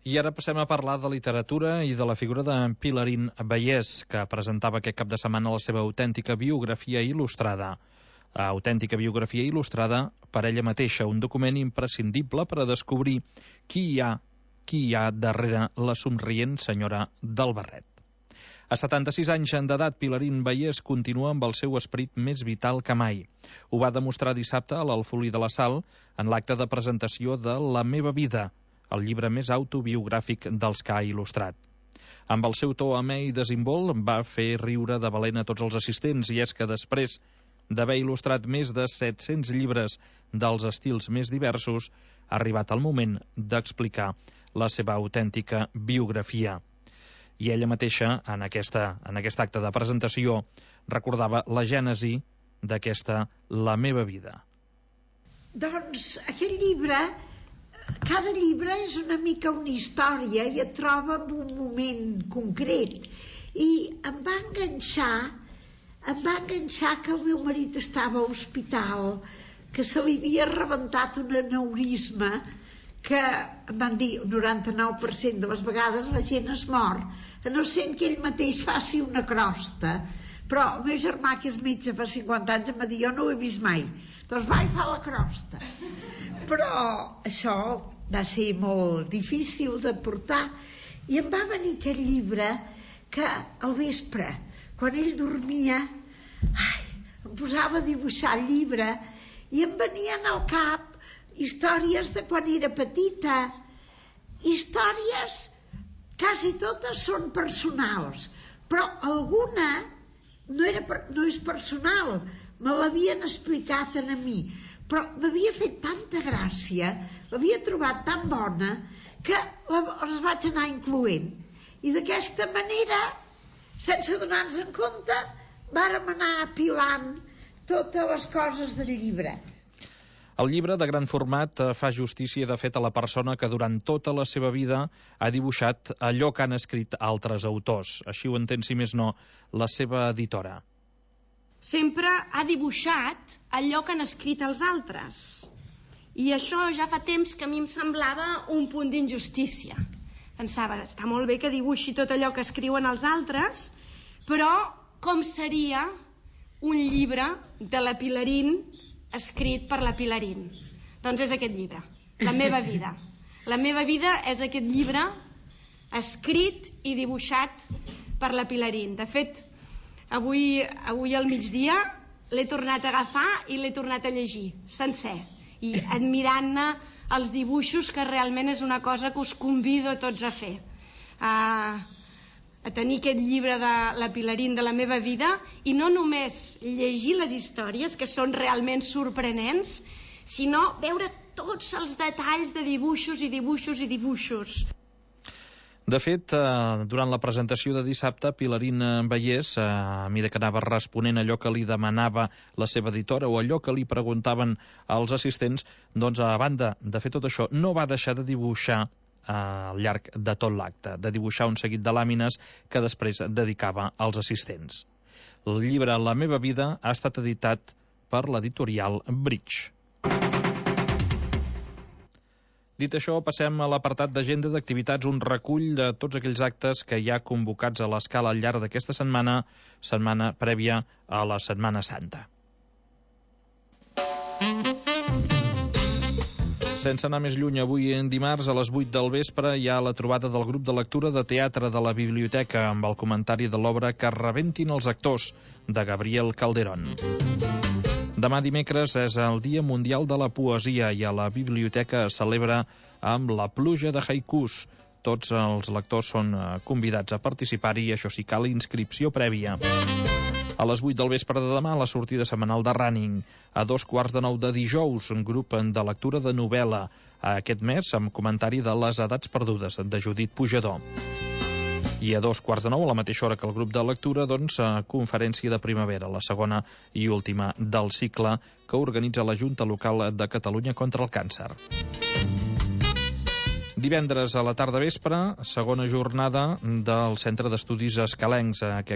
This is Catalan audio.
I ara passem a parlar de literatura i de la figura de Pilarín Bayés, que presentava aquest cap de setmana la seva autèntica biografia il·lustrada. Autèntica biografia il·lustrada per ella mateixa, un document imprescindible per a descobrir qui hi ha darrere la somrient senyora del barret. A 76 anys d'edat, Pilarín Bayés continua amb el seu esperit més vital que mai. Ho va demostrar dissabte a l'Alfolí de la Sal en l'acte de presentació de La meva vida, el llibre més autobiogràfic dels que ha il·lustrat. Amb el seu to amè i desimbolt va fer riure de valent a tots els assistents, i és que després d'haver il·lustrat més de 700 llibres dels estils més diversos, ha arribat el moment d'explicar la seva autèntica biografia. I ella mateixa, en aquest acte de presentació, recordava la gènesi d'aquesta La meva vida. Doncs aquest llibre, cada llibre és una mica una història i et troba en un moment concret. I em va enganxar que el meu marit estava a l'hospital, que se li havia rebentat un aneurisma, que em van dir 99% de les vegades la gent es mor, a no ser que ell mateix faci una crosta. Però el meu germà, que és metge fa 50 anys, em va dir, jo no ho he vist mai, doncs va i fa la crosta. Però això va ser molt difícil de portar, i em va venir aquest llibre que al vespre, quan ell dormia, em posava a dibuixar el llibre i em venien al cap històries de quan era petita, històries, quasi totes són personals, però alguna no és personal, me l'havien explicat a mi, però m'havia fet tanta gràcia, l'havia trobat tan bona, que les vaig anar incloent. I d'aquesta manera, sense donar-nos en compte, vàrem anar apilant totes les coses del llibre. El llibre, de gran format, fa justícia, de fet, a la persona que durant tota la seva vida ha dibuixat allò que han escrit altres autors. Així ho entén, si més no, la seva editora. Sempre ha dibuixat allò que han escrit els altres. I això ja fa temps que a mi em semblava un punt d'injustícia. Pensava, està molt bé que dibuixi tot allò que escriuen els altres, però com seria un llibre de la Pilarín escrit per la Pilarín? Doncs és aquest llibre, La meva vida. La meva vida és aquest llibre escrit i dibuixat per la Pilarín. De fet, avui al migdia l'he tornat a agafar i l'he tornat a llegir sencer, i admirant-ne els dibuixos, que realment és una cosa que us convido a tots a fer, a tenir aquest llibre de la Pilarín, de La meva vida, i no només llegir les històries, que són realment sorprenents, sinó veure tots els detalls de dibuixos i dibuixos i dibuixos. De fet, durant la presentació de dissabte, Pilarín Bayés, a mesura que anava responent allò que li demanava la seva editora o allò que li preguntaven els assistents, doncs, a banda de fer tot això, no va deixar de dibuixar al llarg de tot l'acte, de dibuixar un seguit de làmines que després dedicava als assistents. El llibre La meva vida ha estat editat per l'editorial Bridge. Dit això, passem a l'apartat d'agenda d'activitats, un recull de tots aquells actes que hi ha convocats a l'escala al llarg d'aquesta setmana prèvia a la Setmana Santa. Sense anar més lluny, avui en dimarts a les 8 del vespre hi ha la trobada del grup de lectura de teatre de la biblioteca amb el comentari de l'obra Que rebentin els actors, de Gabriel Calderón. Demà dimecres és el Dia Mundial de la Poesia i a la biblioteca es celebra amb la pluja de haikus. Tots els lectors són convidats a participar-hi, això sí, cal inscripció prèvia. A les 8 del vespre de demà, la sortida setmanal de Running. A 8:45 de dijous, un grup de lectura de novel·la. Aquest mes, amb comentari de Les edats perdudes, de Judit Pujador. I a 8:45, a la mateixa hora que el grup de lectura, doncs, conferència de primavera, la segona i última del cicle que organitza la Junta Local de Catalunya contra el Càncer. Divendres a la tarda vespre, segona jornada del Centre d'Estudis Escalencs,